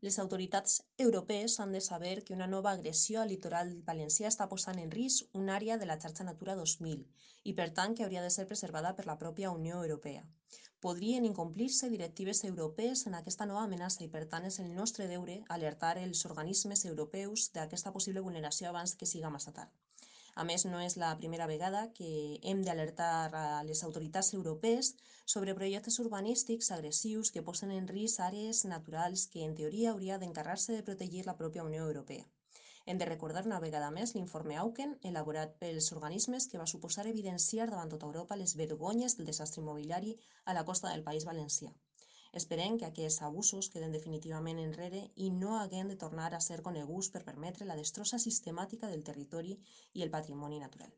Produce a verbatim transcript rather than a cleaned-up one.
Les autoritats europees han de saber que una nova agressió al litoral valencià està posant en risc una àrea de la xarxa Natura dos mil i, per tant, que hauria de ser preservada per la pròpia Unió Europea. Podrien incomplir-se directives europees en aquesta nova amenaça i, per tant, és el nostre deure alertar els organismes europeus d'aquesta possible vulneració abans que siga massa tard. A més, no és la primera vegada que hem d'alertar a les autoritats europees sobre projectes urbanístics agressius que posen en risc àrees naturals que, en teoria, hauria d'encarregar-se de protegir la pròpia Unió Europea. Hem de recordar una vegada més l'informe Auken, elaborat pels organismes, que va suposar evidenciar davant tota Europa les vergonyes del desastre immobiliari a la costa del País Valencià. Esperem que aquests abusos queden definitivament enrere i no haguem de tornar a ser coneguts per permetre la destrossa sistemàtica del territori i el patrimoni natural.